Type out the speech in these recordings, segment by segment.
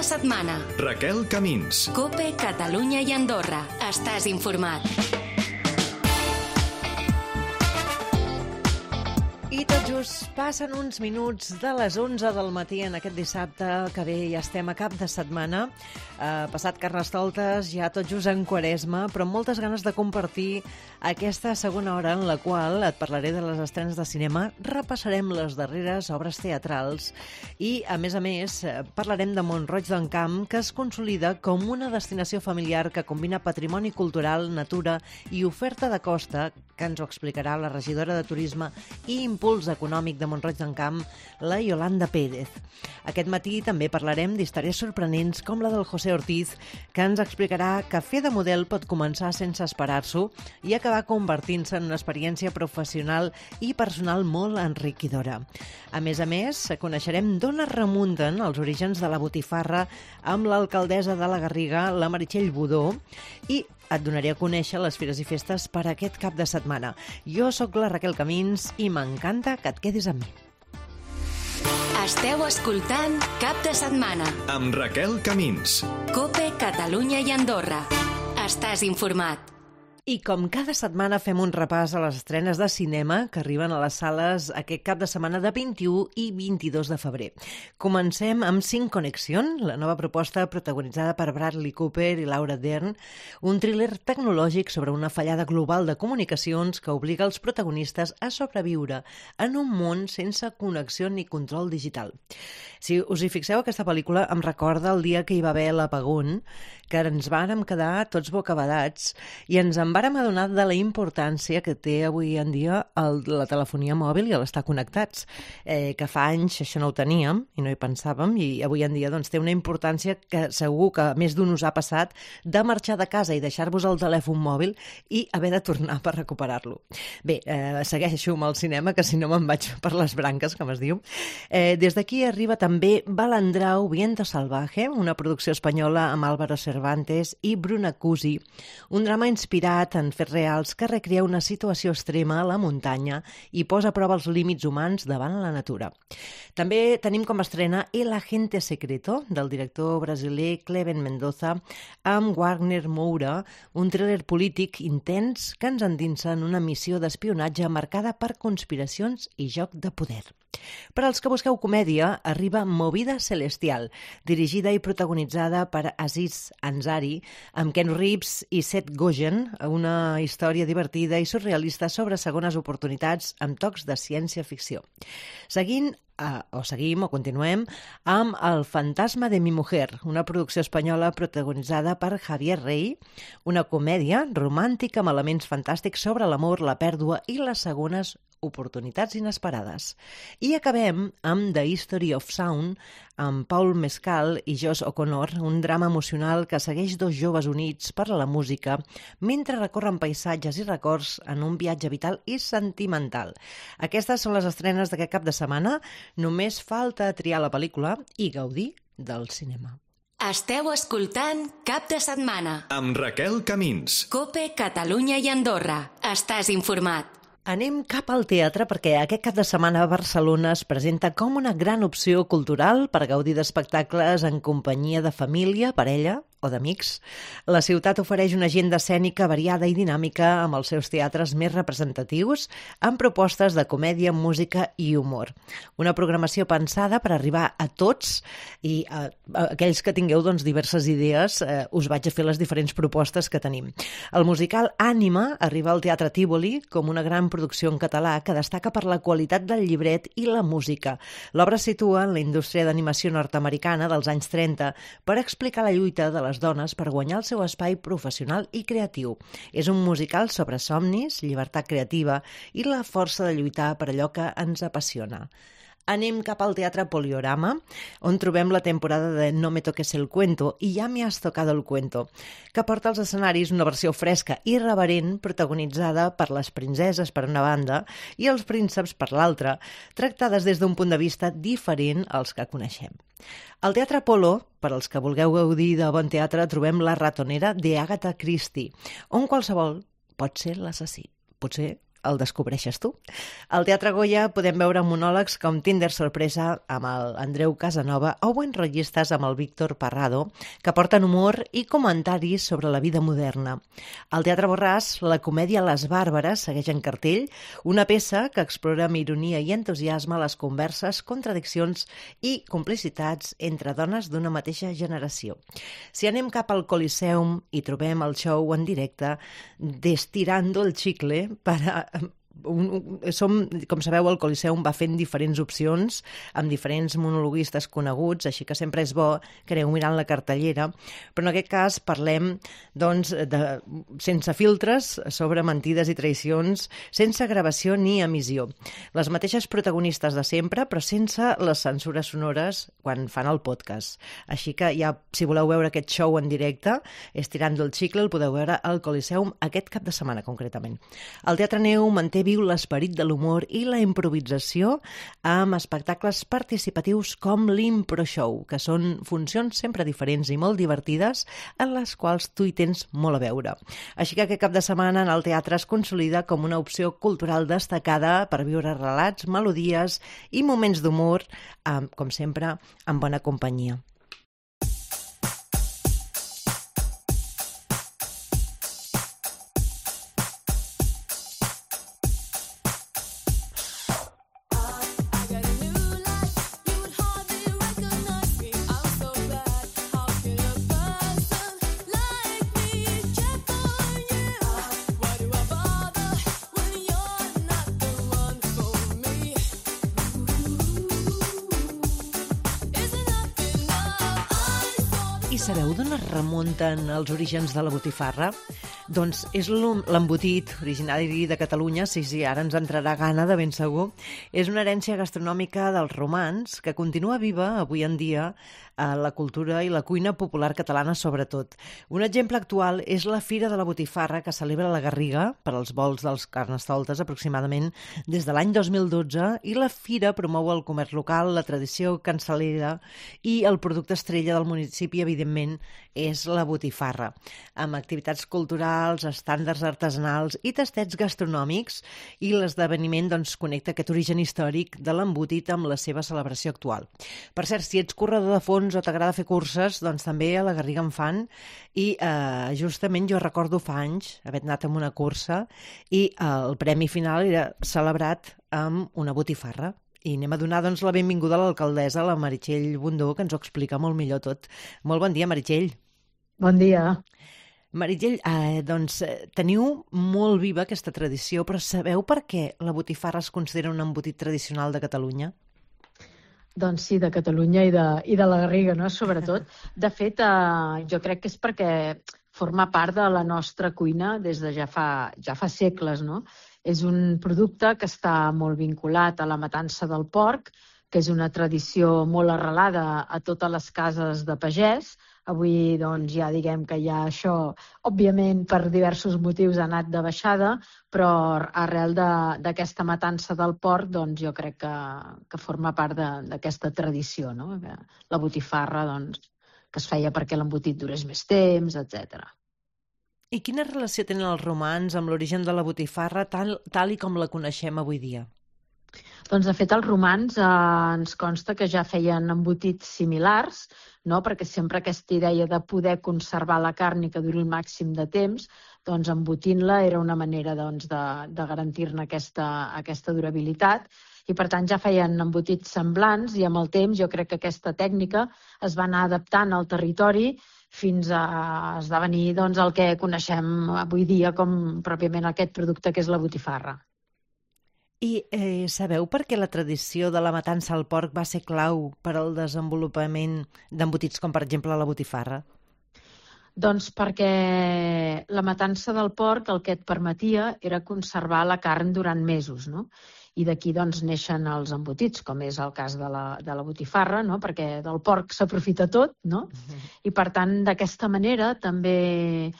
de setmana. Raquel Camins. COPE, Catalunya i Andorra. Estàs informat. I tot just passen uns minuts de les 11 del matí en aquest dissabte, que bé, ja estem a cap de setmana. Passat Carnestoltes, ja tot just en Quaresma, però amb moltes ganes de compartir aquesta segona hora en la qual et parlaré de les estrenes de cinema, repassarem les darreres obres teatrals i, a més, parlarem de Mont-roig d'en Camp, que es consolida com una destinació familiar que combina patrimoni cultural, natura i oferta de costa, que ens ho explicarà la regidora de Turisme i Impuls Econòmic de Mont-roig d'en Camp, la Yolanda Pérez. Aquest matí també parlarem d'històries sorprenents com la del José Ortiz, que ens explicarà que fer de model pot començar sense esperar-s'ho i acabar convertint-se en una experiència professional i personal molt enriquidora. A més, coneixerem d'on es remunten els orígens de la botifarra amb l'alcaldessa de la Garriga, la Meritxell Budó, i et donaré a conèixer les fires i festes per aquest cap de setmana. Jo sóc la Raquel Camins i m'encanta que et quedis amb mi. Esteu escoltant Cap de Setmana. Amb Raquel Camins. COPE, Catalunya i Andorra. Estàs informat. I com cada setmana fem un repàs a les estrenes de cinema que arriben a les sales aquest cap de setmana de 21 i 22 de febrer. Comencem amb Sin Conexión, la nova proposta protagonitzada per Bradley Cooper i Laura Dern, un thriller tecnològic sobre una fallada global de comunicacions que obliga els protagonistes a sobreviure en un món sense connexió ni control digital. Si us hi fixeu, aquesta pel·lícula em recorda el dia que hi va haver l'apagón, que ens vàrem quedar tots bocabadats i ens en vàrem adonar de la importància que té avui en dia la telefonia mòbil i l'estar connectats, que fa anys això no ho teníem i no hi pensàvem, i avui en dia doncs, té una importància que segur que més d'un us ha passat de marxar de casa i deixar-vos el telèfon mòbil i haver de tornar per recuperar-lo. Bé, segueixo amb el cinema, que si no me'n vaig per les branques, com es diu. Des d'aquí arriba també Balandrau, Viento Salvaje, una producció espanyola amb Álvaro Cervantes i Bruna Cusi, un drama inspirat en fets reals que recrea una situació extrema a la muntanya i posa a prova els límits humans davant la natura. També tenim com a estrena El Agente Secreto, del director brasiler Cleven Mendoza, amb Wagner Moura, un thriller polític intens que ens endinsa en una missió d'espionatge marcada per conspiracions i joc de poder. Per als que busqueu comèdia, arriba Movida Celestial, dirigida i protagonitzada per Aziz Ansari, amb Ken Reeves i Seth Rogen, una història divertida i surrealista sobre segones oportunitats amb tocs de ciència-ficció. Seguim o continuem amb El fantasma de mi mujer, una producció espanyola protagonitzada per Javier Rey, una comèdia romàntica amb elements fantàstics sobre l'amor, la pèrdua i les segones oportunitats inesperades. I acabem amb The History of Sound, amb Paul Mescal i Josh O'Connor, un drama emocional que segueix dos joves units per la música mentre recorren paisatges i records en un viatge vital i sentimental. Aquestes són les estrenes d'aquest cap de setmana. Només falta triar la pel·lícula i gaudir del cinema. Esteu escoltant Cap de Setmana. Amb Raquel Camins. COPE, Catalunya i Andorra. Estàs informat. Anem cap al teatre perquè aquest cap de setmana a Barcelona es presenta com una gran opció cultural per gaudir d'espectacles en companyia de família, parella o d'amics. La ciutat ofereix una agenda escènica variada i dinàmica amb els seus teatres més representatius, amb propostes de comèdia, música i humor. Una programació pensada per arribar a tots i a aquells que tingueu diverses idees, us vaig a fer les diferents propostes que tenim. El musical Ànima arriba al Teatre Tívoli com una gran producció en català que destaca per la qualitat del llibret i la música. L'obra es situa en la indústria d'animació nord-americana dels anys 30 per explicar la lluita de les dones per guanyar el seu espai professional i creatiu. És un musical sobre somnis, llibertat creativa i la força de lluitar per allò que ens apassiona. Anem cap al Teatre Poliorama, on trobem la temporada de No me toques el cuento i Ya me has tocado el cuento, que porta als escenaris una versió fresca i irreverent protagonitzada per les princeses per una banda i els prínceps per l'altra, tractades des d'un punt de vista diferent als que coneixem. Al Teatre Apolo, per als que vulgueu gaudir de bon teatre, trobem La ratonera de Agatha Christie, on qualsevol pot ser l'assassí. Potser el descobreixes tu. Al Teatre Goya podem veure monòlegs com Tinder sorpresa amb el Andreu Casanova o buenrotllistes amb el Víctor Parrado, que porten humor i comentaris sobre la vida moderna. Al Teatre Borràs, la comèdia Les Bàrbares segueix en cartell, una peça que explora amb ironia i entusiasme les converses, contradiccions i complicitats entre dones d'una mateixa generació. Si anem cap al Coliseum i trobem el show en directe d'Estirando el Chicle com sabeu, el Coliseum va fent diferents opcions amb diferents monologuistes coneguts, així que sempre és bo que aneu mirant la cartellera, però en aquest cas parlem doncs, sense filtres sobre mentides i traïcions, sense gravació ni emissió. Les mateixes protagonistes de sempre, però sense les censures sonores quan fan el podcast. Així que ja, si voleu veure aquest show en directe, Estirando el Chicle, el podeu veure al Coliseum aquest cap de setmana, concretament. El Teatre Neu manté viu l'esperit de l'humor i la improvisació amb espectacles participatius com l'Impro Show, que són funcions sempre diferents i molt divertides en les quals tu hi tens molt a veure. Així que aquest cap de setmana en el teatre es consolida com una opció cultural destacada per viure relats, melodies i moments d'humor, com sempre, en bona companyia. I sabeu d'on es remunten els orígens de la botifarra? Doncs és l'embotit originari de Catalunya, sí, ara ens entrarà gana de ben segur. És una herència gastronòmica dels romans que continua viva avui en dia a la cultura i la cuina popular catalana sobretot. Un exemple actual és la Fira de la Botifarra que celebra la Garriga per als volts dels Carnestoltes aproximadament des de l'any 2012 i la Fira promou el comerç local, la tradició cansalera i el producte estrella del municipi, evidentment, és la botifarra, amb activitats culturals, estàndards artesanals i tastets gastronòmics, i l'esdeveniment doncs, connecta aquest origen històric de l'embotit amb la seva celebració actual. Per cert, si ets corredor de fons o t'agrada fer curses, doncs també a la Garriga en fan, i justament jo recordo fa anys haver anat amb una cursa i el premi final era celebrat amb una botifarra. I anem a donar doncs, la benvinguda a l'alcaldessa, la Meritxell Bundó, que ens ho explica molt millor tot. Molt bon dia, Meritxell. Bon dia. Meritxell, doncs teniu molt viva aquesta tradició, però sabeu per què la botifarra es considera un embotit tradicional de Catalunya? Doncs sí, de Catalunya i de la Garriga, no? Sobretot. De fet, jo crec que és perquè forma part de la nostra cuina des de ja fa segles, no? És un producte que està molt vinculat a la matança del porc, que és una tradició molt arrelada a totes les cases de pagès. Avui doncs, ja diguem que ja això, òbviament, per diversos motius ha anat de baixada, però arrel d'aquesta matança del porc, doncs, jo crec que forma part d'aquesta tradició, no? La botifarra, doncs, que es feia perquè l'embotit durés més temps, etc. I quina relació tenen els romans amb l'origen de la botifarra tal i com la coneixem avui dia? Doncs, de fet, els romans ens consta que ja feien embotits similars, no? Perquè sempre aquesta idea de poder conservar la carn i que duri el màxim de temps, doncs embotint-la era una manera doncs, de garantir-ne aquesta durabilitat. I, per tant, ja feien embotits semblants i amb el temps jo crec que aquesta tècnica es va anar adaptant al territori fins a esdevenir doncs, el que coneixem avui dia com pròpiament aquest producte que és la botifarra. I sabeu per què la tradició de la matança al porc va ser clau per al desenvolupament d'embotits com, per exemple, la botifarra? Doncs perquè la matança del porc el que et permetia era conservar la carn durant mesos, no? I d'aquí doncs, neixen els embotits, com és el cas de la botifarra, no? Perquè del porc s'aprofita tot, no? I per tant, d'aquesta manera també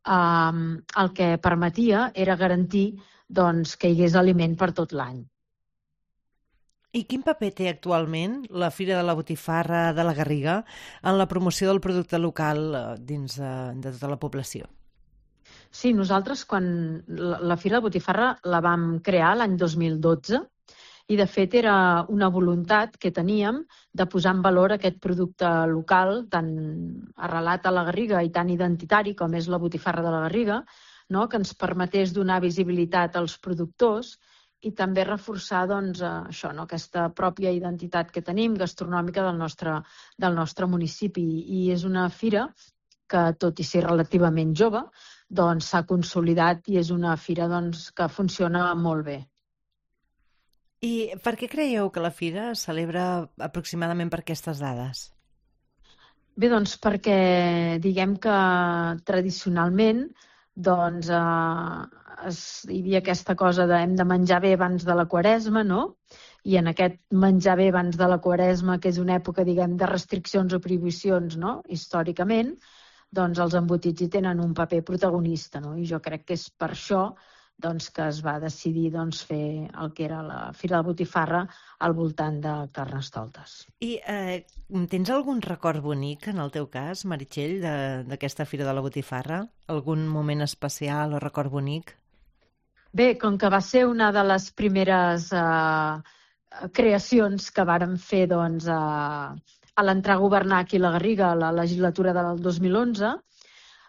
el que permetia era garantir doncs, que hi hagués aliment per tot l'any. I quin paper té actualment la Fira de la Botifarra de la Garriga en la promoció del producte local dins de tota la població? Sí, nosaltres quan la Fira de la Botifarra la vam crear l'any 2012 i de fet era una voluntat que teníem de posar en valor aquest producte local tan arrelat a la Garriga i tan identitari com és la botifarra de la Garriga, no? Que ens permetés donar visibilitat als productors i també reforçar doncs, això, no? Aquesta pròpia identitat que tenim gastronòmica del nostre municipi. I és una fira que, tot i ser relativament jove, doncs s'ha consolidat i és una fira doncs, que funciona molt bé. I per què creieu que la fira es celebra aproximadament per aquestes dades? Bé, doncs perquè diguem que tradicionalment doncs, hi havia aquesta cosa de hem de menjar bé abans de la Quaresma, no? I en aquest menjar bé abans de la Quaresma, que és una època, diguem, de restriccions o prohibicions, no? Històricament, doncs els embotits hi tenen un paper protagonista, no? I jo crec que és per això doncs, que es va decidir doncs, fer el que era la Fira de la Botifarra al voltant de Carnestoltes. I tens algun record bonic, en el teu cas, Meritxell, d'aquesta Fira de la Botifarra? Algun moment especial o record bonic? Bé, com que va ser una de les primeres creacions que vàrem fer doncs, a l'entrar a governar aquí a la Garriga, a la legislatura del 2011,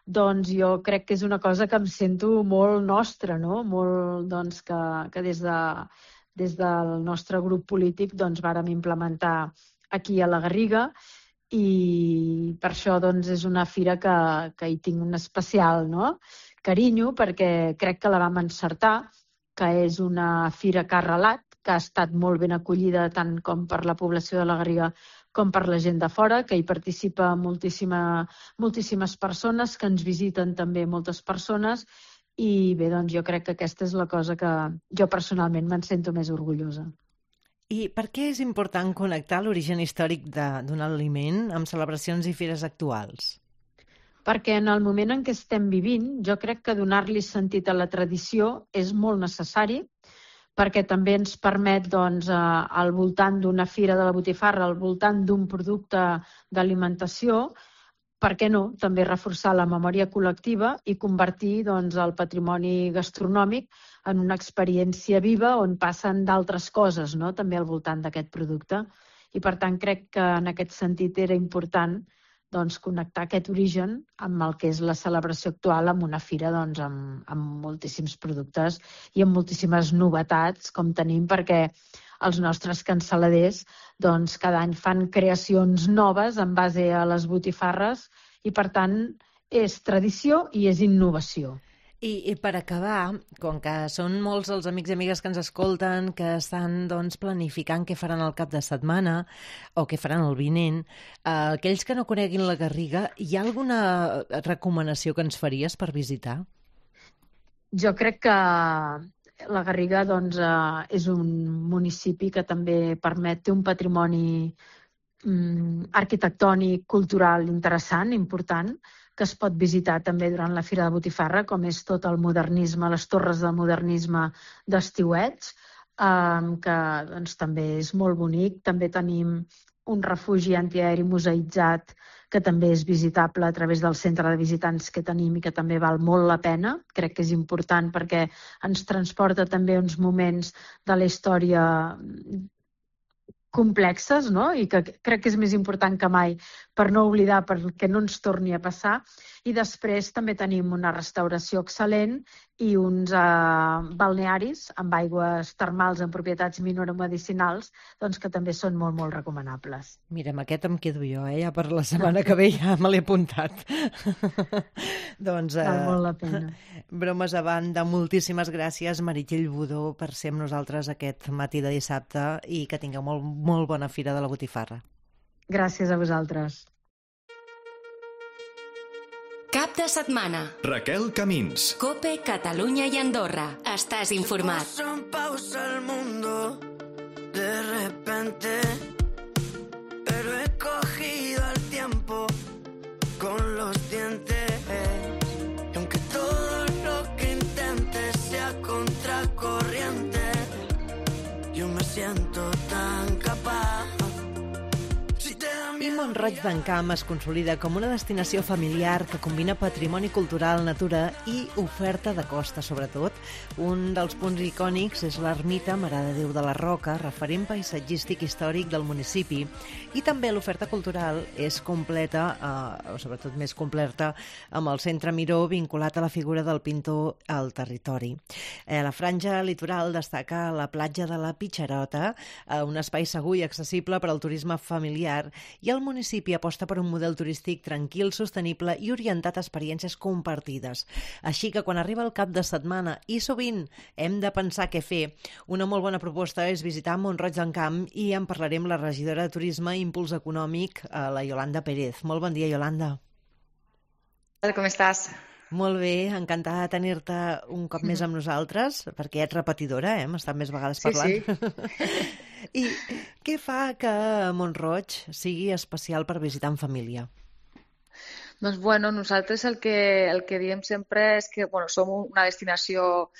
doncs jo crec que és una cosa que em sento molt nostra, no? Molt, doncs, que des del nostre grup polític doncs, vàrem implementar aquí a la Garriga i per això doncs, és una fira que hi tinc un especial, no? Carinyo, perquè crec que la vam encertar, que és una fira que ha arrelat, que ha estat molt ben acollida tant com per la població de la Garriga com per la gent de fora, que hi participa moltíssimes persones, que ens visiten també moltes persones i bé, doncs jo crec que aquesta és la cosa que jo personalment me'n sento més orgullosa. I per què és important connectar l'origen històric d'un aliment amb celebracions i fires actuals? Perquè en el moment en què estem vivint, jo crec que donar-li sentit a la tradició és molt necessari, perquè també ens permet, doncs, al voltant d'una fira de la botifarra, al voltant d'un producte d'alimentació, per què no, també reforçar la memòria col·lectiva i convertir doncs, el patrimoni gastronòmic en una experiència viva on passen d'altres coses, no? També al voltant d'aquest producte. I per tant crec que en aquest sentit era important doncs, connectar aquest origen amb el que és la celebració actual amb una fira doncs, amb moltíssims productes i amb moltíssimes novetats com tenim, perquè els nostres cansaladers doncs, cada any fan creacions noves en base a les botifarres i per tant és tradició i és innovació. I per acabar, com que són molts els amics i amigues que ens escolten, que estan doncs, planificant què faran el cap de setmana o què faran el vinent, aquells que no coneguin la Garriga, hi ha alguna recomanació que ens faries per visitar? Jo crec que la Garriga doncs, és un municipi que també té un patrimoni arquitectònic, cultural interessant, important, que es pot visitar també durant la Fira de Botifarra, com és tot el modernisme, les torres del modernisme d'Estiuets, que doncs, també és molt bonic. També tenim un refugi antiaeri museïtzat que també és visitable a través del centre de visitants que tenim i que també val molt la pena. Crec que és important perquè ens transporta també uns moments de la història complexes, no? I que crec que és més important que mai per no oblidar, perquè no ens torni a passar. I després també tenim una restauració excel·lent i uns balnearis amb aigües termals amb propietats minoromedicinals doncs que també són molt, molt recomanables. Mira, amb aquest em quedo jo, ja per la setmana que ve ja me l'he apuntat. Doncs, val molt la pena. Bromes a banda, moltíssimes gràcies, Meritxell Budó, per ser amb nosaltres aquest matí de dissabte i que tingueu molt bona Fira de la Botifarra. Gràcies a vosaltres. Cap de setmana. Raquel Camins. COPE, Catalunya i Andorra. Estàs informat. Se puso en pausa el mundo de repente, pero he cogido el tiempo con los dientes. Y aunque todo lo que intente sea contracorriente, yo me siento tan capaz. Si te da miedo Mont-roig d'en Camp es consolida com una destinació familiar que combina patrimoni cultural, natura i oferta de costa, sobretot. Un dels punts icònics és l'ermita Mare de Déu de la Roca, referent paisatgístic històric del municipi. I també l'oferta cultural és completa, o sobretot més completa, amb el Centre Miró vinculat a la figura del pintor al territori. A la franja litoral destaca la platja de la Pitxerota, un espai segur i accessible per al turisme familiar, i el municipi aposta per un model turístic tranquil, sostenible i orientat a experiències compartides. Així que quan arriba el cap de setmana i sovint hem de pensar què fer, una molt bona proposta és visitar Mont-roig d'en Camp i en parlarem amb la regidora de Turisme i Impuls Econòmic, la Yolanda Pérez. Molt bon dia, Yolanda. Com estàs? Molt bé, encantada de tenir-te un cop més amb nosaltres, perquè ets repetidora, hem estat més vegades parlant. Sí. I què fa que Mont-roig sigui especial per visitar en família? Doncs nosaltres el que diem sempre és que som una destinació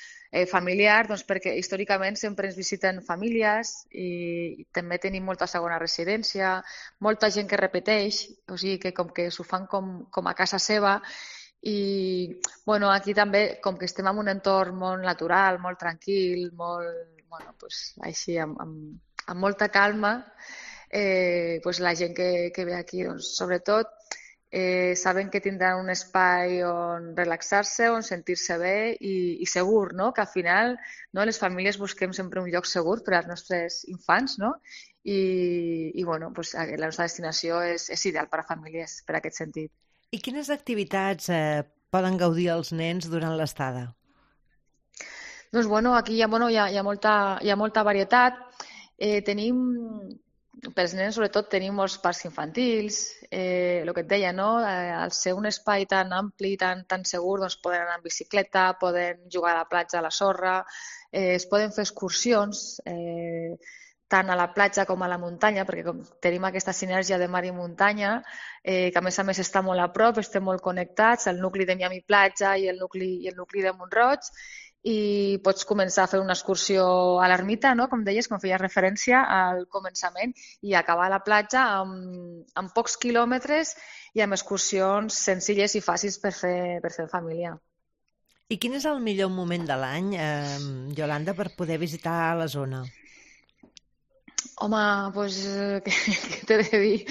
familiar, doncs perquè històricament sempre ens visiten famílies i també tenim molta segona residència, molta gent que repeteix, o sigui que com que s'ho fan com a casa seva. I aquí també, com que estem en un entorn molt natural, molt tranquil, així amb molta calma, la gent que ve aquí, sobretot, saben que tindran un espai on relaxar-se, on sentir-se bé i segur, no? Que al final les famílies busquem sempre un lloc segur per als nostres infants, no? I la nostra destinació és ideal per a famílies, per aquest sentit. I quines activitats poden gaudir els nens durant l'estada? Doncs aquí hi ha molta varietat. Pels nens, sobretot, tenim molts parcs infantils. El que et deia, no? Al ser un espai tan ampli, tan segur, doncs poden anar en bicicleta, poden jugar a la platja, a la sorra, es poden fer excursions, tant a la platja com a la muntanya, perquè tenim aquesta sinergia de mar i muntanya, que a més està molt a prop, estem molt connectats, el nucli de Miami Platja i el nucli de Mont-roig, i pots començar a fer una excursió a l'ermita, no? Com deies, com feies referència al començament, i acabar a la platja amb pocs quilòmetres i amb excursions senzilles i fàcils per fer en família. I quin és el millor moment de l'any, Yolanda, per poder visitar la zona? Home, què t'he de dir?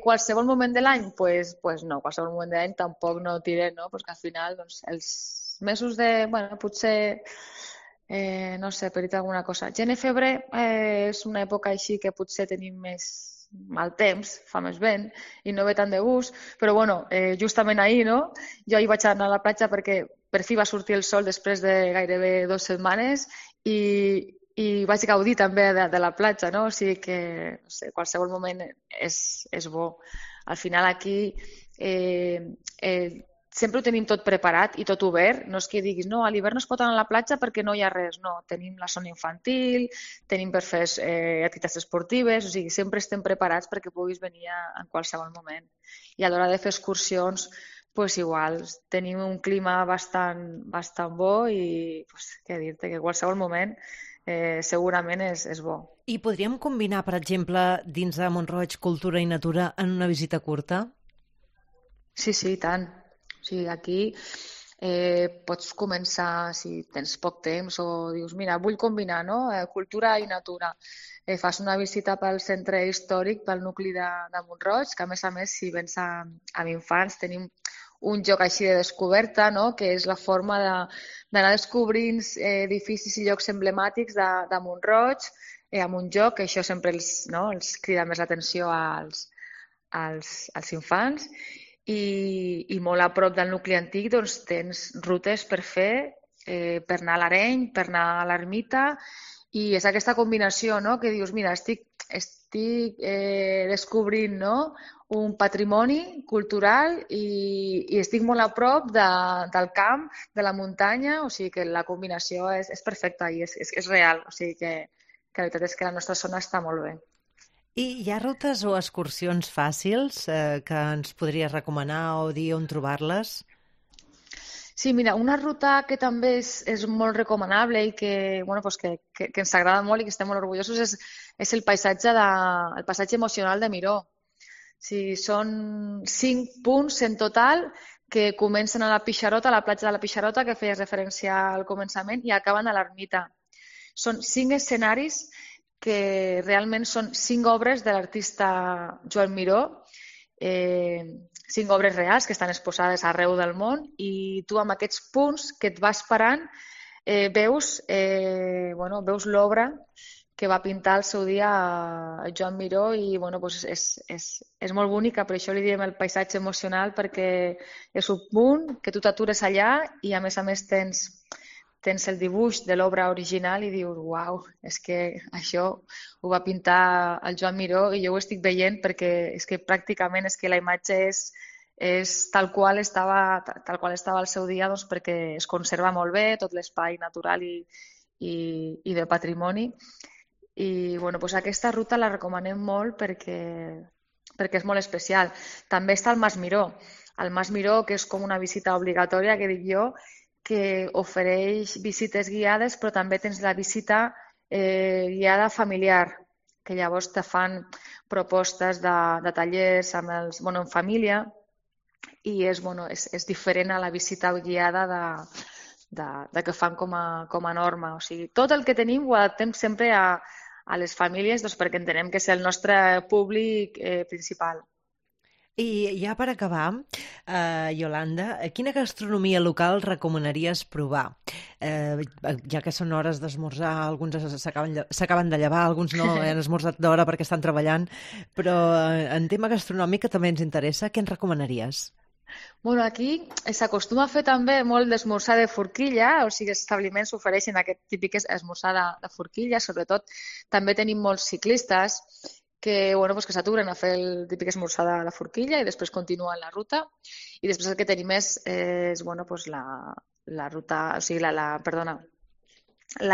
Qualsevol moment de l'any? No, qualsevol moment de l'any tampoc no diré, no? Perquè al final els mesos de, potser, no sé, per dir alguna cosa. Gener, febrer és una època així que potser tenim més mal temps, fa més vent i no ve tant de gust, però justament ahir, no? Jo ahir vaig anar a la platja perquè per fi va sortir el sol després de gairebé 2 setmanes i vaig gaudir també de la platja, no? O sigui que, no sé, qualsevol moment és bo. Al final aquí sempre ho tenim tot preparat i tot obert. No és que diguis, no, a l'hivern no es pot anar a la platja perquè no hi ha res. No, tenim la zona infantil, tenim per fer activitats esportives, o sigui, sempre estem preparats perquè puguis venir en qualsevol moment. I a l'hora de fer excursions, igual, tenim un clima bastant bo i, què dir-te, que qualsevol moment segurament és bo. I podríem combinar, per exemple, dins de Mont-roig, cultura i natura en una visita curta? Sí, i tant. O sigui, aquí pots començar, si tens poc temps, o dius, mira, vull combinar, no? Cultura i natura. Fas una visita pel centre històric, pel nucli de Mont-roig, que a més, si vens amb infants, tenim un joc així de descoberta, no? Que és la forma d'anar descobrint edificis i llocs emblemàtics de Mont-roig amb un joc, que això sempre els crida més l'atenció als infants. I molt a prop del nucli antic doncs, tens rutes per fer, per anar a l'Areny, per anar a l'ermita, i és aquesta combinació, no? Que dius, mira, estic descobrint, no? Un patrimoni cultural i estic molt a prop del camp, de la muntanya, o sigui que la combinació és perfecta i és real, o sigui que la veritat és que la nostra zona està molt bé. I hi ha rutes o excursions fàcils que ens podries recomanar o dir on trobar-les? Sí, mira, una ruta que també és molt recomanable i que ens agrada molt i que estem molt orgullosos és el paisatge emocional de Miró. sigui, són 5 punts en total que comencen a la Pixarota, a la platja de la Pixarota, que feies referència al començament, i acaben a l'ermita. Són 5 escenaris que realment són 5 obres de l'artista Joan Miró, 5 obres reals que estan exposades arreu del món, i tu amb aquests punts que et vas parant veus l'obra que va pintar al seu dia Joan Miró, i és molt bonica, per això li diem el paisatge emocional, perquè és un punt que tu t'atures allà i a més tens el dibuix de l'obra original i dius, uau, és que això ho va pintar el Joan Miró i jo ho estic veient, perquè és que pràcticament és que la imatge és tal qual estava al seu dia, doncs perquè es conserva molt bé tot l'espai natural i de patrimoni. I aquesta ruta la recomanem molt perquè és molt especial. També està el Mas Miró. El Mas Miró, que és com una visita obligatòria, que dic jo, que ofereix visites guiades, però també tens la visita guiada familiar, que llavors te fan propostes de tallers en família, i és diferent a la visita guiada que fan com a norma. O sigui, tot el que tenim ho adaptem sempre a les famílies, doncs, perquè entenem que és el nostre públic principal. I ja per acabar, Iolanda, quina gastronomia local recomanaries provar? Ja que són hores d'esmorzar, alguns s'acaben de llevar, alguns no han esmorzat d'hora perquè estan treballant, però en tema gastronòmic que també ens interessa, què ens recomanaries? Aquí s'acostuma a fer també molt d'esmorzar de forquilla, o sigui, els establiments ofereixen aquest típic esmorzar de forquilla, sobretot també tenim molts ciclistes que s'aturen a fer el típic esmorzar de forquilla i després continuen la ruta, i després el que tenim és la ruta, o sigui, la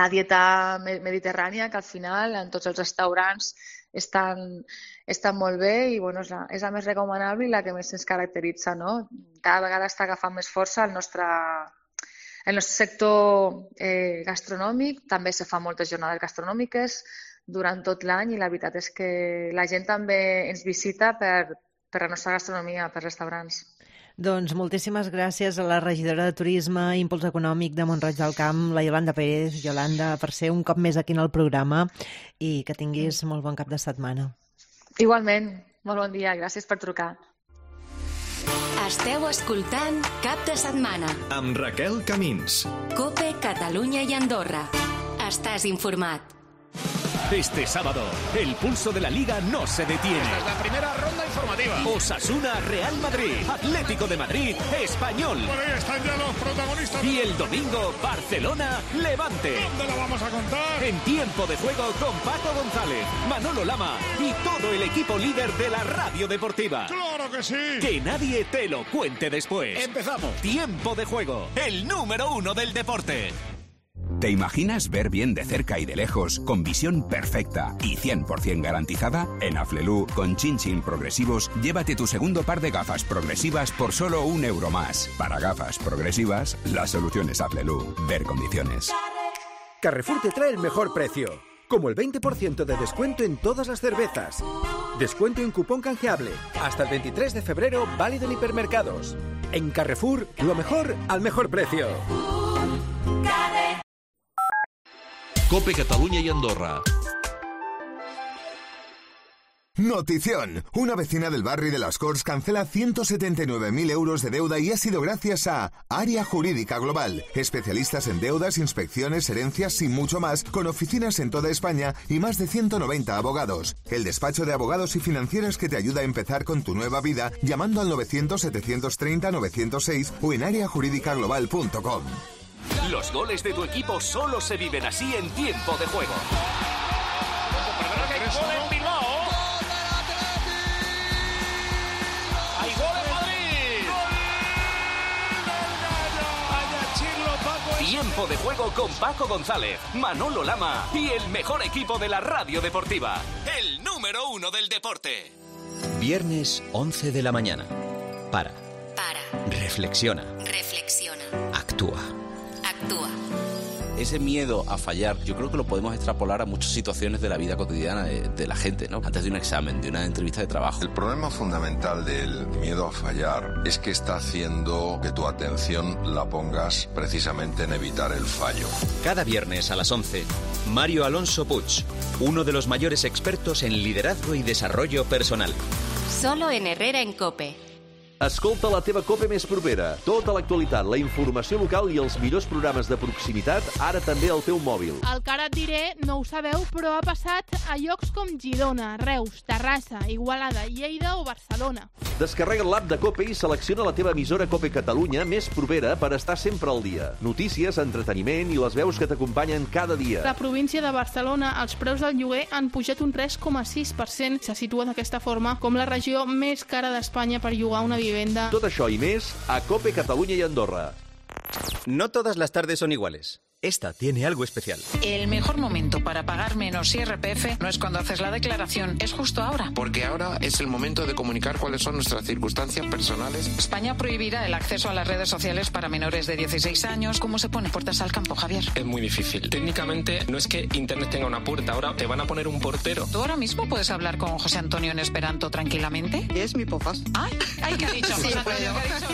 dieta mediterrània, que al final en tots els restaurants estan molt bé i és la més recomanable i la que més ens caracteritza, no? Cada vegada està agafant més força el nostre sector gastronòmic. També se fan moltes jornades gastronòmiques durant tot l'any i la veritat és que la gent també ens visita per la nostra gastronomia, per restaurants. Doncs moltíssimes gràcies a la regidora de Turisme i Impuls Econòmic de Mont-roig del Camp, la Iolanda Pérez. Iolanda, per ser un cop més aquí en el programa i que tinguis molt bon cap de setmana. Igualment, molt bon dia, gràcies per trucar. Esteu escoltant Cap de Setmana amb Raquel Camins. COPE Catalunya i Andorra. Estàs informat. Este sábado, el pulso de la Liga no se detiene. Esta es la primera ronda informativa. Osasuna, Real Madrid, Atlético de Madrid, Español. Por ahí están ya los protagonistas. Y el domingo, Barcelona, Levante. ¿Dónde lo vamos a contar? En Tiempo de Juego con Paco González, Manolo Lama y todo el equipo líder de la radio deportiva. ¡Claro que sí! Que nadie te lo cuente después. ¡Empezamos! Tiempo de Juego, el número 1 del deporte. ¿Te imaginas ver bien de cerca y de lejos, con visión perfecta y 100% garantizada? En Aflelu, con Chin Chin Progresivos, llévate tu segundo par de gafas progresivas por solo €1 más. Para gafas progresivas, la solución es Aflelu. Ver condiciones. Carrefour te trae el mejor precio, como el 20% de descuento en todas las cervezas. Descuento en cupón canjeable, hasta el 23 de febrero, válido en hipermercados. En Carrefour, lo mejor al mejor precio. COPE Catalunya y Andorra. Notición. Una vecina del barrio de Las Corts cancela 179.000 euros de deuda y ha sido gracias a Área Jurídica Global. Especialistas en deudas, inspecciones, herencias y mucho más, con oficinas en toda España y más de 190 abogados. El despacho de abogados y financieras que te ayuda a empezar con tu nueva vida llamando al 900-730-906 o en areajuridicaglobal.com. Los goles de tu equipo solo se viven así en Tiempo de Juego. ¡Gol en Bilbao! ¡Hay gol en Madrid! ¡Gol! Tiempo de Juego con Paco González, Manolo Lama y el mejor equipo de la radio deportiva. El número 1 del deporte. Viernes 11 de la mañana. Para. Reflexiona. Actúa. ese miedo a fallar, yo creo que lo podemos extrapolar a muchas situaciones de la vida cotidiana de la gente, ¿no? Antes de un examen, de una entrevista de trabajo. El problema fundamental del miedo a fallar es que está haciendo que tu atención la pongas precisamente en evitar el fallo. Cada viernes a las 11, Mario Alonso Puig, uno de los mayores expertos en liderazgo y desarrollo personal. Solo en Herrera en COPE. Escolta la teva COPE més propera. Tota l'actualitat, la informació local i els millors programes de proximitat, ara també al teu mòbil. El que ara et diré no ho sabeu, però ha passat a llocs com Girona, Reus, Terrassa, Igualada, Lleida o Barcelona. Descarrega l'app de COPE i selecciona la teva emissora COPE Catalunya més propera per estar sempre al dia. Notícies, entreteniment i les veus que t'acompanyen cada dia. La província de Barcelona, els preus del lloguer han pujat un 3,6%. Se situa d'aquesta forma com la regió més cara d'Espanya per llogar una vivenda. Tot això i més a COPE Catalunya i Andorra. No todas las tardes son iguales. Esta tiene algo especial. El mejor momento para pagar menos IRPF no es cuando haces la declaración, es justo ahora. Porque ahora es el momento de comunicar cuáles son nuestras circunstancias personales. España prohibirá el acceso a las redes sociales para menores de 16 años. ¿Cómo se pone puertas al campo, Javier? Es muy difícil. Técnicamente no es que Internet tenga una puerta, ahora te van a poner un portero. ¿Tú ahora mismo puedes hablar con José Antonio en esperanto tranquilamente? Es mi pofas. Ay, ¿qué ha dicho José Antonio? ¿Qué ha dicho?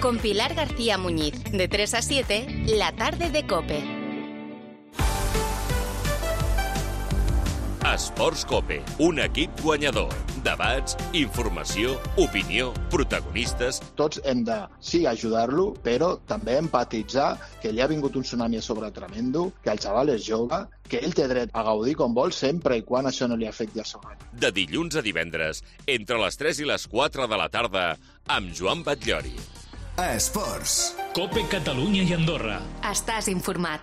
Con Pilar García Muñiz, de 3 a 7, la tarde de COPE. Esports COPE, un equip guanyador. Debats, informació, opinió, protagonistes... Tots hem de, sí, ajudar-lo, però també empatitzar que li ha vingut un tsunami a sobre tremendo, que el xaval és jove, que ell té dret a gaudir com vol sempre i quan això no li afecti a sobre. De dilluns a divendres, entre les 3 i les 4 de la tarda, amb Joan Batllori. Esports. COPE Catalunya y Andorra. Estás informat.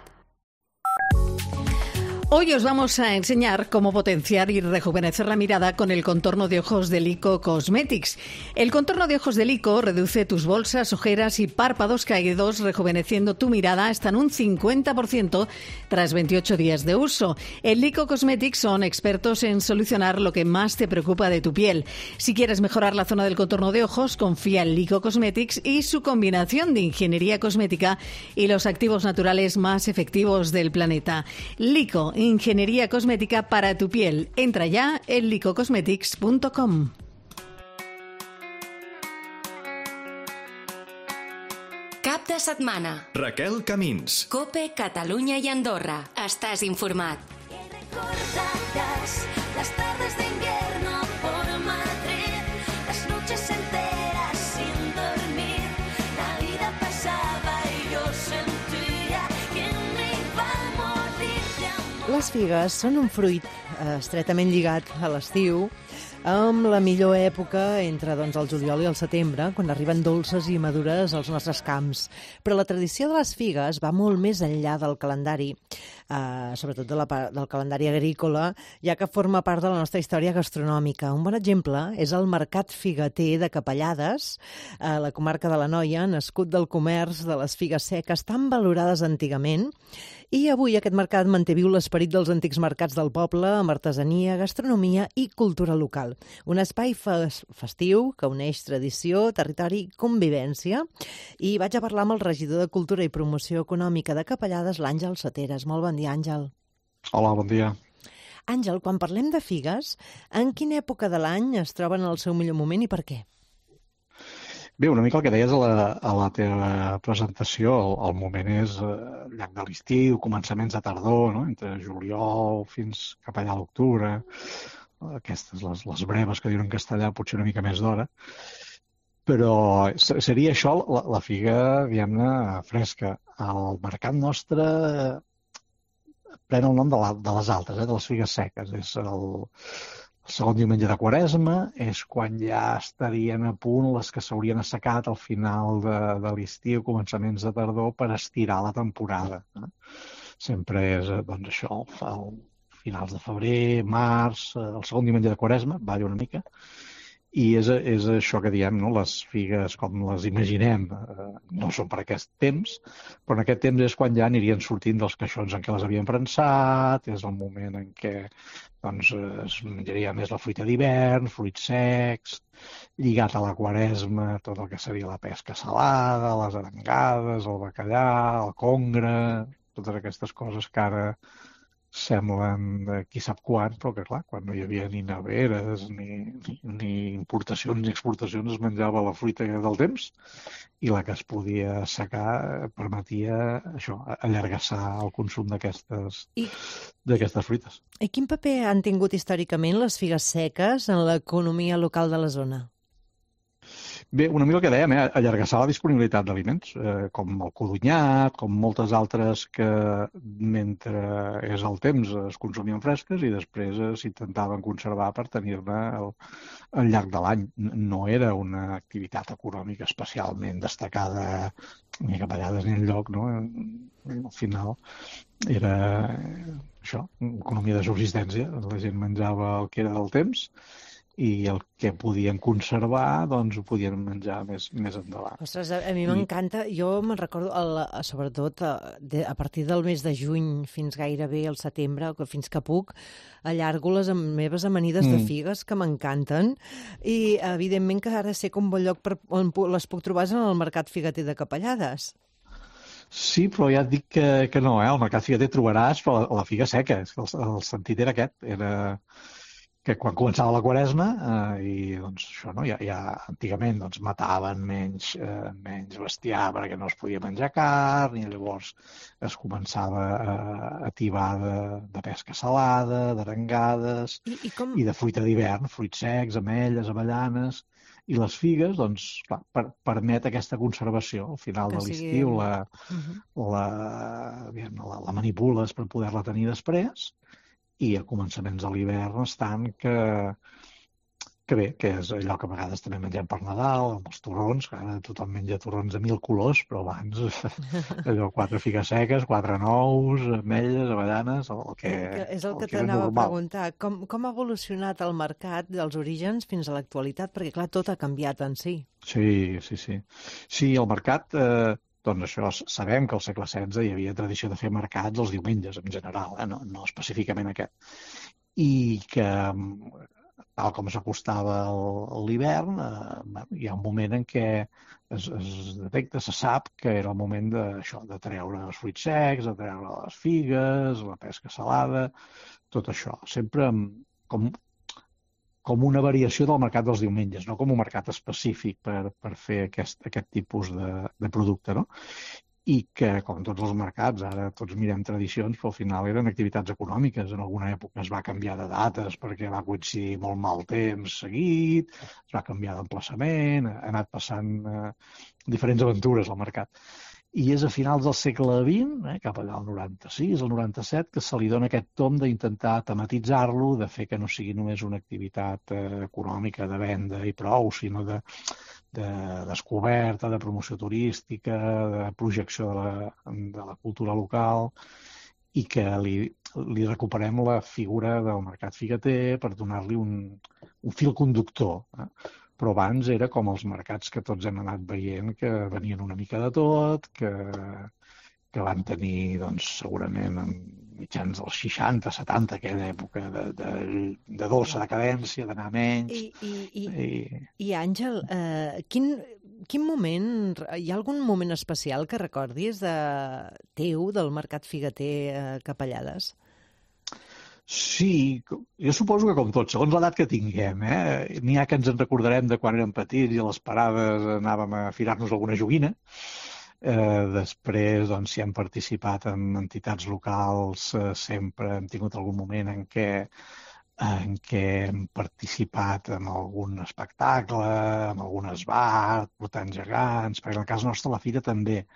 Hoy os vamos a enseñar cómo potenciar y rejuvenecer la mirada con el contorno de ojos de Lyko Cosmetics. El contorno de ojos de Lyko reduce tus bolsas, ojeras y párpados caídos, rejuveneciendo tu mirada hasta en un 50% tras 28 días de uso. En Lyko Cosmetics son expertos en solucionar lo que más te preocupa de tu piel. Si quieres mejorar la zona del contorno de ojos, confía en Lyko Cosmetics y su combinación de ingeniería cosmética y los activos naturales más efectivos del planeta. Lyko, ingeniería cosmética para tu piel. Entra ya en lykocosmetics.com. Cap de setmana. Raquel Camins. COPE Catalunya i Andorra. Estàs informat. Recordarás las tardes de invierno por Madrid, las noches enteras sin dormir. La vida pasaba y yo sentía que me iba a morir de amor. Les figues són un fruit estretament lligat a l'estiu, amb la millor època entre el juliol i el setembre, quan arriben dolces i madures als nostres camps. Però la tradició de les figues va molt més enllà del calendari, sobretot del calendari agrícola, ja que forma part de la nostra història gastronòmica. Un bon exemple és el Mercat Figueter de Capellades, a la comarca de l'Anoia, nascut del comerç de les figues seques tan valorades antigament, i avui aquest mercat manté viu l'esperit dels antics mercats del poble amb artesania, gastronomia i cultura local. Un espai festiu que uneix tradició, territori i convivència. I vaig a parlar amb el regidor de Cultura i Promoció Econòmica de Capellades, l'Àngel Seteres. Molt bon dia, Àngel. Hola, bon dia. Àngel, quan parlem de figues, en quina època de l'any es troben en el seu millor moment i per què? Bé, una mica el que deies a la teva presentació, el moment és llarg de l'estiu, començaments de tardor, no? Entre juliol fins cap allà a l'octubre, aquestes, les breves que diuen en castellà, potser una mica més d'hora, però seria això la figa, diguem-ne, fresca. El mercat nostre pren el nom de les altres, de les figues seques. És el segon diumenge de Quaresma, és quan ja estarien a punt les que s'haurien assecat al final de l'estiu, començaments de tardor, per estirar la temporada. Sempre és, doncs, això, finals de febrer, març, el segon diumenge de Quaresma, balla una mica, i és això que diem, no? Les figues, com les imaginem, no són per aquest temps, però en aquest temps és quan ja anirien sortint dels caixons en què les havien prensat, és el moment en què doncs, es menjaria més la fruita d'hivern, fruits secs, lligat a la Quaresma, tot el que seria la pesca salada, les arengades, el bacallà, el congre, totes aquestes coses que ara semblen qui sap quan, però que clar, quan no hi havia ni neveres, ni importacions ni exportacions, es menjava la fruita del temps i la que es podia assecar permetia això, allargassar el consum d'aquestes fruites. I quin paper han tingut històricament les figues seques en l'economia local de la zona? Bé, una mica el que dèiem, allargassar la disponibilitat d'aliments, com el codonyat, com moltes altres que mentre és el temps es consumien fresques i després s'intentaven conservar per tenir-ne al llarg de l'any. No era una activitat econòmica especialment destacada ni Capellades ni enlloc, no? Al final era això, economia de subsistència. La gent menjava el que era del temps i el que podien conservar doncs ho podien menjar més endavant. Ostres, a mi m'encanta, jo me'n recordo, sobretot a partir del mes de juny fins gairebé al setembre, fins que puc, allargo les meves amanides de figues que m'encanten i evidentment que ara sé com bon lloc on les puc trobar en el mercat figueter de Capellades. Sí, però ja et dic que no, al mercat figueter trobaràs però la figa seca, el sentit era aquest, era que quan començava la Quaresma i doncs això, no? Ja antigament doncs, mataven menys bestiar perquè no es podia menjar carn i llavors es començava a tibar de pesca salada, d'arengades i de fruita d'hivern, fruits secs, ametlles, avellanes i les figues, doncs, clar, permet aquesta conservació. Al final de l'estiu la manipules per poder-la tenir després i a començaments de l'hivern estan que bé, que és allò que a vegades també mengem per Nadal, amb els torrons, que ara tothom menja torrons de 1000 colors, però abans allò 4 figues seques, 4 nous, ametlles, avellanes, el que és el que t'anava a preguntar. Com ha evolucionat el mercat dels orígens fins a l'actualitat? Perquè clar, tot ha canviat en si. Sí. Sí, el mercat... Doncs això, sabem que al segle XVI hi havia tradició de fer mercats els diumenges, en general, no específicament aquest. I que, tal com s'acostava l'hivern, hi ha un moment en què es detecta, se sap que era el moment de treure els fruits secs, de treure les figues, la pesca salada, tot això. Sempre com una variació del mercat dels diumenges, no com un mercat específic per fer aquest tipus de producte, no? I que, com tots els mercats, ara tots mirem tradicions, però al final eren activitats econòmiques. En alguna època es va canviar de dates perquè va coincidir molt mal temps seguit, es va canviar d'emplaçament, ha anat passant diferents aventures al mercat. I és a finals del segle XX, cap allà al 96, al 97, que se li dona aquest tom d'intentar tematitzar-lo, de fer que no sigui només una activitat econòmica de venda i prou, sinó de descoberta, de promoció turística, de projecció de la cultura local, i que li recuperem la figura del mercat figueter per donar-li un fil conductor. Però abans era com els mercats que tots hem anat veient, que venien una mica de tot, que van tenir, doncs, segurament, mitjans dels 60, 70, aquella època de dolça decadència, d'anar menys. I Àngel, quin moment, hi ha algun moment especial que recordis teu del mercat figueter a Capellades? Sí, jo suposo que com tots, segons l'edat que tinguem, n'hi ha que ens en recordarem de quan érem petits i a les parades anàvem a firar-nos alguna joguina. Després, doncs, si hem participat en entitats locals, sempre hem tingut algun moment en què hem participat en algun espectacle, en algun esbart, portant gegants, perquè en el cas nostre la fira també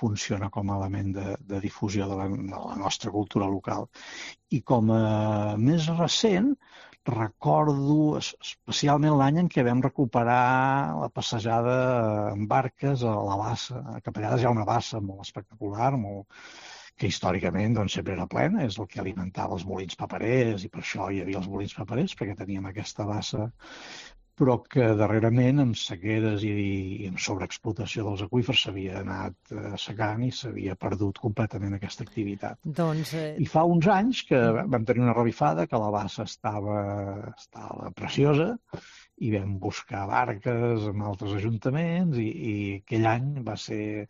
funciona com a element de difusió de la nostra cultura local. I com a més recent, recordo especialment l'any en què vam recuperar la passejada en barques a la bassa. A Capellades hi ha una bassa molt espectacular, que històricament doncs, sempre era plena, és el que alimentava els molins paperers, i per això hi havia els molins paperers, perquè teníem aquesta bassa, però que darrerament amb sequeres i amb sobreexplotació dels aqüífers s'havia anat secant i s'havia perdut completament aquesta activitat. I fa uns anys que vam tenir una revifada, que la bassa estava preciosa, i vam buscar barques amb altres ajuntaments, i aquell any va ser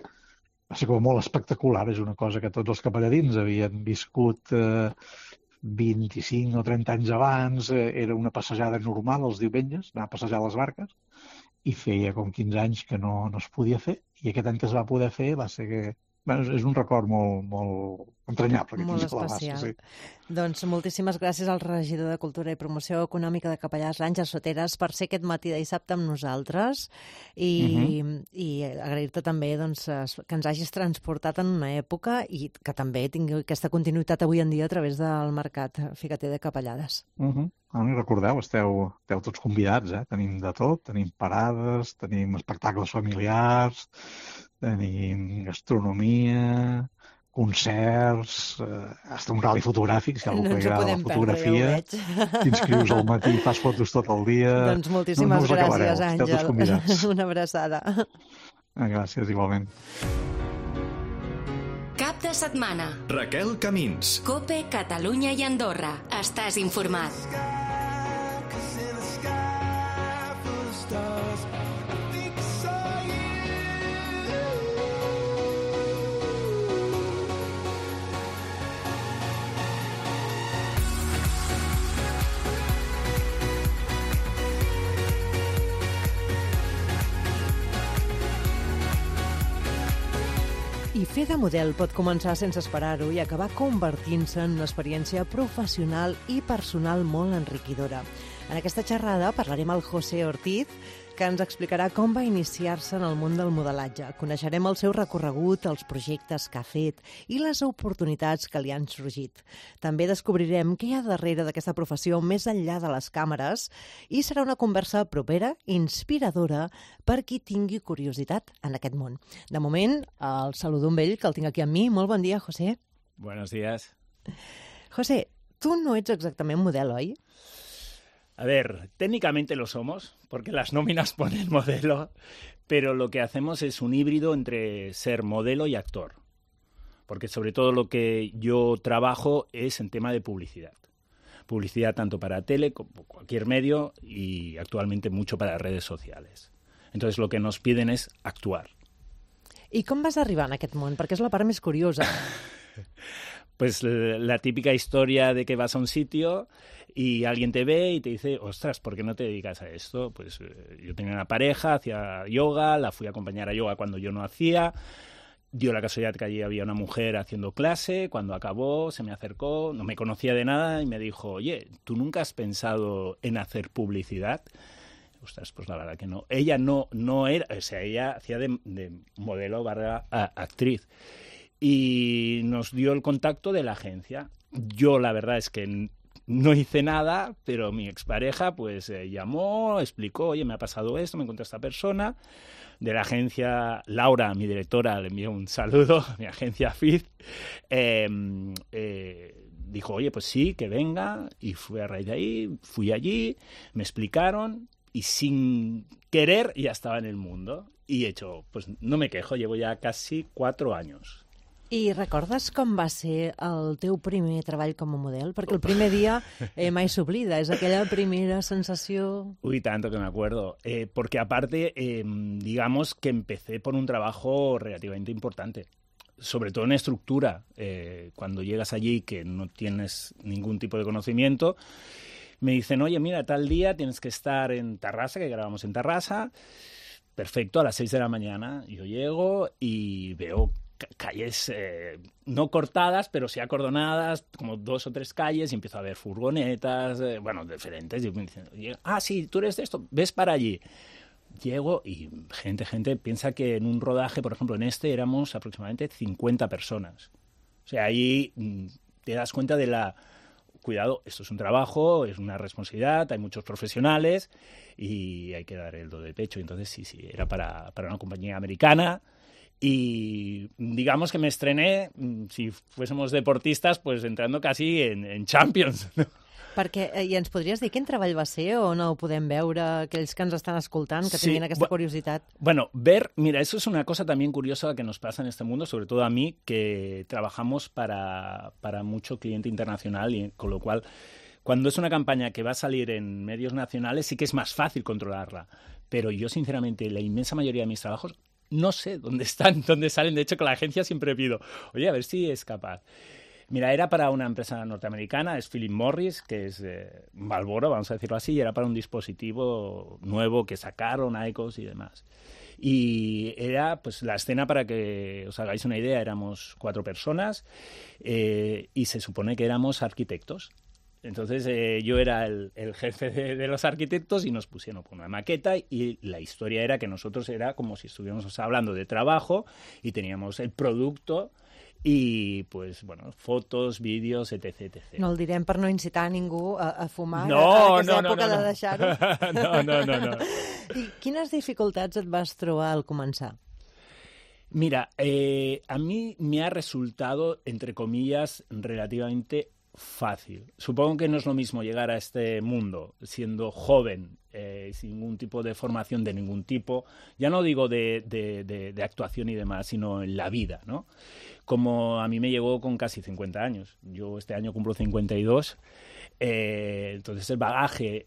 va ser com molt espectacular. És una cosa que tots els capelladins havien viscut 25 o 30 anys abans. Era una passejada normal els diumenges, anar a passejar les barques, i feia com 15 anys que no es podia fer, i aquest any que es va poder fer va ser que... Bueno, és un record molt entranyable. Molt especial. Sí. Doncs moltíssimes gràcies al regidor de Cultura i Promoció Econòmica de Capellars, l'Àngel Soteras, per ser aquest matí de dissabte amb nosaltres i agrair-te també doncs, que ens hagis transportat en una època i que també tingui aquesta continuïtat avui en dia a través del mercat Figater de Capellades. Recordeu, esteu tots convidats, Tenim de tot, tenim parades, tenim espectacles familiars, tenim gastronomia, concerts, hasta un rally fotogràfic, si algú agrada la fotografia, t'inscrius al matí i fas fotos tot el dia. Doncs moltíssimes gràcies, Àngel. Una abraçada. Gràcies, igualment. Cap de setmana. Raquel Camins. COPE, Catalunya i Andorra. Estàs informat. I fer de model pot començar sense esperar-ho i acabar convertint-se en una experiència professional i personal molt enriquidora. En aquesta xerrada parlarem amb José Ortiz, que ens explicarà com va iniciar-se en el món del modelatge. Coneixerem el seu recorregut, els projectes que ha fet i les oportunitats que li han sorgit. També descobrirem què hi ha darrere d'aquesta professió més enllà de les càmeres i serà una conversa propera, inspiradora, per qui tingui curiositat en aquest món. De moment, el saludo amb ell, que el tinc aquí amb mi. Molt bon dia, José. Buenos días. José, tu no ets exactament model, oi? A ver, técnicamente lo somos, porque las nóminas ponen modelo, pero lo que hacemos es un híbrido entre ser modelo y actor. Porque sobre todo lo que yo trabajo es en tema de publicidad. Publicidad tanto para tele como cualquier medio y actualmente mucho para redes sociales. Entonces lo que nos piden es actuar. I com vas arribar en aquest món? Perquè és la part més curiosa. Pues la típica historia de que vas a un sitio y alguien te ve y te dice, ostras, ¿por qué no te dedicas a esto? Pues yo tenía una pareja, hacía yoga, la fui a acompañar a yoga cuando yo no hacía. Dio la casualidad que allí había una mujer haciendo clase. Cuando acabó, se me acercó, no me conocía de nada y me dijo, oye, ¿tú nunca has pensado en hacer publicidad? Ostras, pues la verdad que no. Ella no era, o sea, ella hacía de modelo barra actriz. Y nos dio el contacto de la agencia. Yo la verdad es que no hice nada, pero mi expareja pues llamó, explicó, oye, me ha pasado esto, me encontré a esta persona. De la agencia, Laura, mi directora, le envió un saludo, mi agencia FID. Dijo, oye, pues sí, que venga. Y fui a raíz de ahí, fui allí, me explicaron y sin querer ya estaba en el mundo. Y he hecho, pues no me quejo, llevo ya casi 4 años. I recordes com va ser el teu primer treball com a model? Perquè el primer dia mai s'oblida, és aquella primera sensació... Uy, tanto que me acuerdo. Porque aparte, digamos que empecé por un trabajo relativamente importante. Sobre todo en estructura. Cuando llegas allí que no tienes ningún tipo de conocimiento, me dicen, oye, mira, tal día tienes que estar en Tarrasa, que grabamos en Tarrasa. Perfecto, a las 6 de la mañana. Yo llego y veo calles no cortadas, pero sí acordonadas, como 2 o 3 calles, y empiezo a ver furgonetas, bueno, diferentes, y me dicen, sí, tú eres de esto, ves para allí. Llego y gente piensa que en un rodaje, por ejemplo, en este éramos aproximadamente 50 personas. O sea, ahí te das cuenta de la... Cuidado, esto es un trabajo, es una responsabilidad, hay muchos profesionales y hay que dar el do de pecho. Entonces, sí, era para una compañía americana. Y digamos que me estrené, si fuésemos deportistas, pues entrando casi en Champions, ¿no? Perquè, i ens podries dir quin treball va ser o no ho podem veure, aquells que ens estan escoltant, que tinguin aquesta curiositat? Bueno, mira, eso es una cosa también curiosa que nos pasa en este mundo, sobre todo a mí, que trabajamos para mucho cliente internacional, y con lo cual, cuando es una campaña que va a salir en medios nacionales, sí que es más fácil controlarla. Pero yo, sinceramente, la inmensa mayoría de mis trabajos no sé dónde están, dónde salen. De hecho, con la agencia siempre pido, oye, a ver si es capaz. Mira, era para una empresa norteamericana, es Philip Morris, que es Marlboro, vamos a decirlo así, y era para un dispositivo nuevo que sacaron, IQOS y demás. Y era, pues, la escena, para que os hagáis una idea, éramos 4 personas y se supone que éramos arquitectos. Entonces yo era el jefe de los arquitectos y nos pusieron con una maqueta y la historia era que nosotros era como si estuviéramos hablando de trabajo y teníamos el producto i, pues, bueno, fotos, vídeos, etc. No el direm per no incitar ningú a fumar no, a aquesta època de deixar-ho. No. I quines dificultats et vas trobar al començar? Mira, a mí me ha resultado, entre comillas, relativamente fácil. Supongo que no es lo mismo llegar a este mundo siendo joven, sin ningún tipo de formación de ningún tipo, ya no digo de actuación y demás, sino en la vida, ¿no? Como a mí me llegó con casi 50 años. Yo este año cumplo 52. Entonces el bagaje,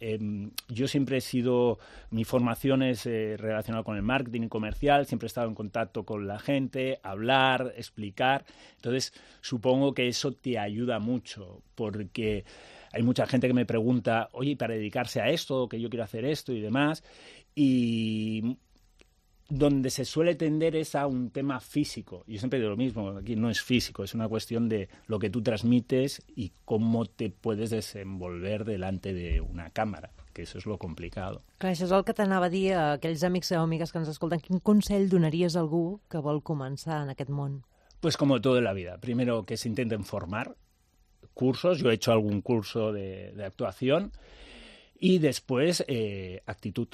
yo siempre he sido, mi formación es relacionada con el marketing comercial, siempre he estado en contacto con la gente, hablar, explicar. Entonces supongo que eso te ayuda mucho, porque hay mucha gente que me pregunta, oye, para dedicarse a esto, que yo quiero hacer esto y demás, y donde se suele tender es a un tema físico. Yo siempre digo lo mismo, aquí no es físico, es una cuestión de lo que tú transmites y cómo te puedes desenvolver delante de una cámara, que eso és lo complicado. Clar, això és el que t'anava a dir a aquells amics o amigues que ens escolten. Quin consell donaries a algú que vol començar en aquest món? Pues como todo en la vida. Primero, que se intenten formar cursos. Yo he hecho algún curso de actuación. Y después, actitud.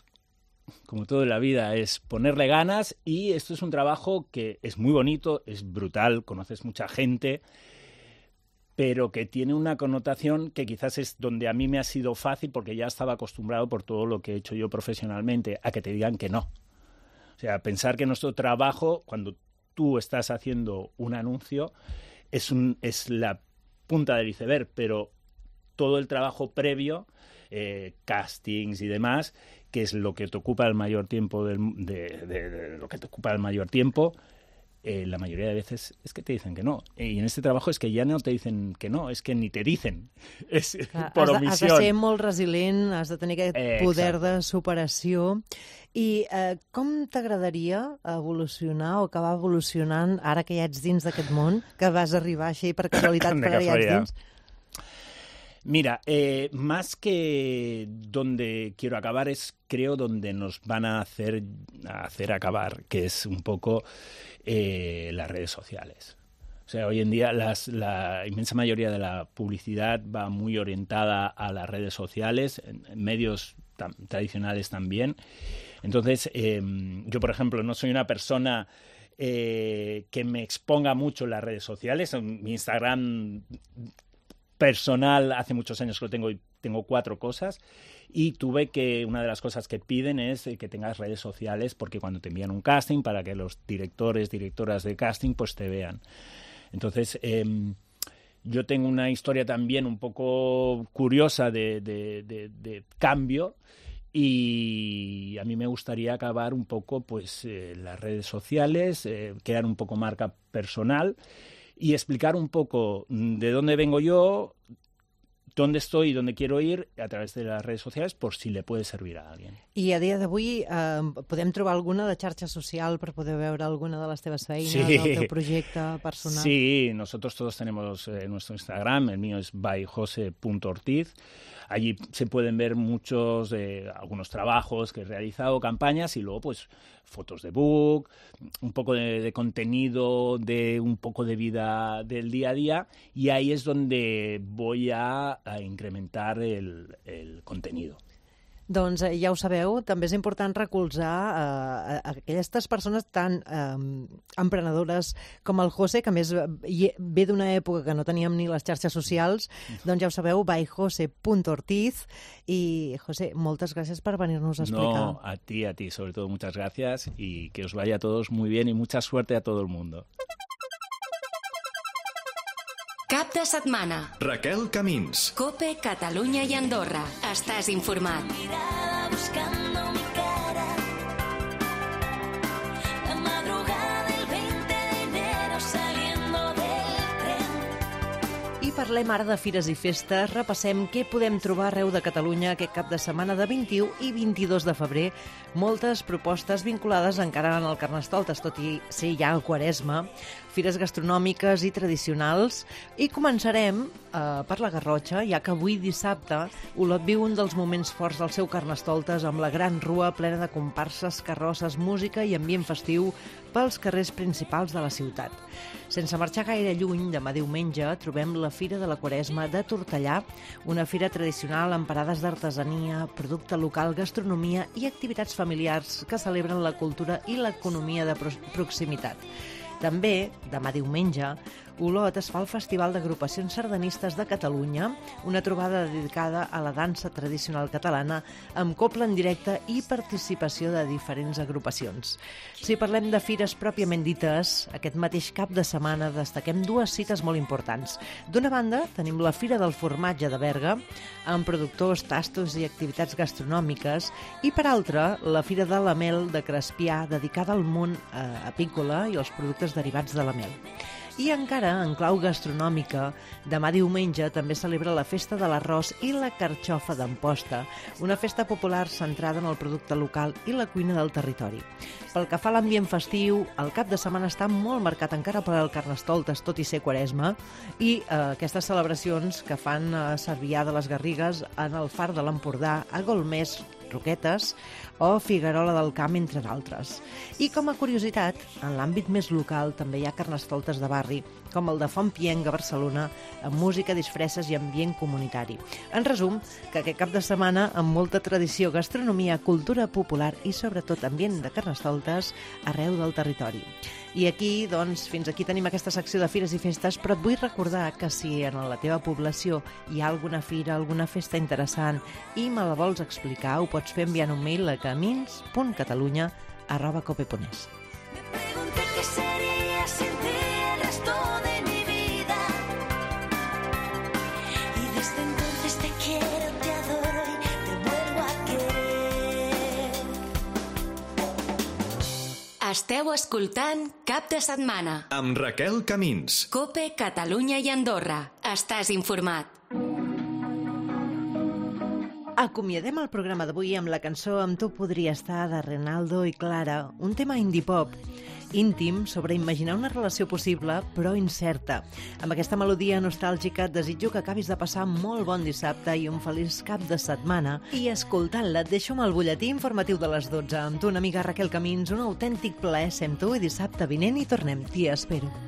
Como todo en la vida, es ponerle ganas, y esto es un trabajo que es muy bonito, es brutal, conoces mucha gente, pero que tiene una connotación que quizás es donde a mí me ha sido fácil, porque ya estaba acostumbrado por todo lo que he hecho yo profesionalmente, a que te digan que no. O sea, pensar que nuestro trabajo, cuando tú estás haciendo un anuncio, es la punta del iceberg, pero todo el trabajo previo, castings y demás, que es lo que te ocupa el mayor tiempo de lo que te ocupa el mayor tiempo, la mayoría de veces es que te dicen que no. Y en este trabajo es que ya no te dicen que no, es que ni te dicen. És per omissió. Has de ser molt resilient, has de tenir aquest poder de superació. I com t'agradaria evolucionar o acabar evolucionant ara que ja ets dins d'aquest món, que vas arribar així per casualitat, però ja ets dins? Mira, más que donde quiero acabar es, creo, donde nos van a hacer acabar, que es un poco las redes sociales. O sea, hoy en día la inmensa mayoría de la publicidad va muy orientada a las redes sociales, en medios tradicionales también. Entonces, yo, por ejemplo, no soy una persona que me exponga mucho en las redes sociales. Mi Instagram personal hace muchos años que lo tengo y tengo 4 cosas, y una de las cosas que piden es que tengas redes sociales, porque cuando te envían un casting, para que los directoras de casting pues te vean. Entonces yo tengo una historia también un poco curiosa de cambio, y a mí me gustaría acabar un poco pues las redes sociales, crear un poco marca personal y explicar un poco de dónde vengo yo, dónde estoy y dónde quiero ir a través de las redes sociales, por si le puede servir a alguien. I a dia d'avui podem trobar alguna de xarxa social per poder veure alguna de les teves feines, sí, del teu projecte personal? Sí, nosotros todos tenemos nuestro Instagram, el mío es byjose.ortiz. Allí se pueden ver algunos trabajos que he realizado, campañas, y luego pues fotos de book, un poco de contenido, de un poco de vida del día a día, y ahí es donde voy a incrementar el contenido. Doncs ja ho sabeu, també és important recolzar aquestes persones tan emprenedores com el José, que a més ve d'una època que no teníem ni les xarxes socials. Doncs ja ho sabeu, byjose.ortiz. I, José, moltes gràcies per venir-nos a explicar. No, a ti, sobre todo muchas gracias, y que os vaya a todos muy bien y mucha suerte a todo el mundo. Cap de setmana. Raquel Camins. COPE, Catalunya i Andorra. Estàs informat. Buscando mi cara, la parlem ara de fires i festes. Repassem què podem trobar arreu de Catalunya aquest cap de setmana de 21 i 22 de febrer. Moltes propostes vinculades encara al Carnestoltes, tot i ser ja el Quaresma, fires gastronòmiques i tradicionals. I començarem per la Garrotxa, ja que avui dissabte Olot viu un dels moments forts del seu Carnestoltes amb la gran rua plena de comparses, carrosses, música i ambient festiu pels carrers principals de la ciutat. Sense marxar gaire lluny, demà diumenge trobem la Fira de la Quaresma de Tortellà, una fira tradicional amb parades d'artesania, producte local, gastronomia i activitats familiars que celebren la cultura i l'economia de proximitat. També, demà diumenge, Olot es fa el Festival d'Agrupacions Sardanistes de Catalunya, una trobada dedicada a la dansa tradicional catalana amb copla en directe i participació de diferents agrupacions. Si parlem de fires pròpiament dites, aquest mateix cap de setmana destaquem dues cites molt importants. D'una banda, tenim la Fira del Formatge de Berga, amb productors, tastos i activitats gastronòmiques, i per altra, la Fira de la Mel de Crespià, dedicada al món apícola i als productes derivats de la mel. I encara, en clau gastronòmica, demà diumenge també celebra la Festa de l'Arròs i la Carxofa d'Amposta, una festa popular centrada en el producte local i la cuina del territori. Pel que fa a l'ambient festiu, el cap de setmana està molt marcat encara per al Carnestoltes, tot i ser Quaresma, i aquestes celebracions que fan a Cervià de les Garrigues, en el Far de l'Empordà, a Golmés, Roquetes o Figuerola del Camp, entre d'altres. I com a curiositat, en l'àmbit més local també hi ha carnestoltes de barri, com el de Fontpienc a Barcelona, amb música, disfresses i ambient comunitari. En resum, que aquest cap de setmana, amb molta tradició, gastronomia, cultura popular i sobretot ambient de carnestoltes arreu del territori. I aquí, doncs, fins aquí tenim aquesta secció de fires i festes, però et vull recordar que si en la teva població hi ha alguna fira, alguna festa interessant i me la vols explicar, ho pots fer enviant un mail a camins.catalunya@cope.es. Esteu escoltant Cap de Setmana amb Raquel Camins. Cope, Catalunya i Andorra. Estàs informat. Acomiadem el programa d'avui amb la cançó Amb tu podria estar de Renaldo i Clara, un tema indie pop íntim sobre imaginar una relació possible però incerta. Amb aquesta melodia nostàlgica et desitjo que acabis de passar molt bon dissabte i un feliç cap de setmana. I escoltant-la et deixo amb el butlletí informatiu de les 12. Amb tu, una amiga Raquel Camins, un autèntic plaer ser amb tu i dissabte vinent hi tornem. T'hi espero.